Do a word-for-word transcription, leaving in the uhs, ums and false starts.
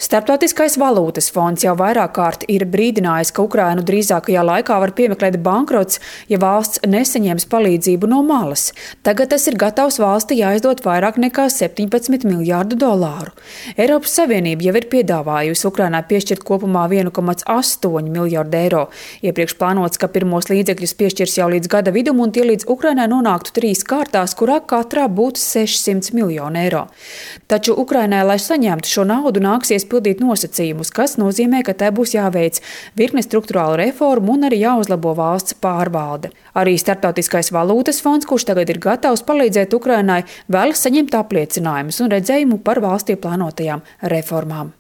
Starptautiskais valūtas fonds jau vairāk kārt ir brīdinājis, ka Ukrainu drīzākajā laikā var piemeklēt bankrots, ja valsts nesaņems palīdzību no malas. Tagad tas ir gatavs valsti aizdot vairāk nekā septiņpadsmit miljārdu dolāru. Eiropas Savienība jau ir piedāvājusi Ukrainai piešķirt kopumā viens komats astoņi miljārdi eiro. Iepriekš plānots, ka pirmos līdzekļus piešķirs jau līdz gada vidum un tie līdz Ukrainai nonāktu trīs kārtās, kurā katrā būtu sešsimt miljoni eiro. Taču Ukrainai, lai saņemtu šo naudu, nāksies pildīt nosacījumus, kas nozīmē, ka tai būs jāveic virkne struktūrālu reformu un arī jāuzlabo valsts pārvalde. Arī Starptautiskais valūtas fonds, kurš tagad ir gatavs palīdzēt Ukrainai, vēlas saņemt apliecinājumus un redzējumu par valstī plānotajām reformām.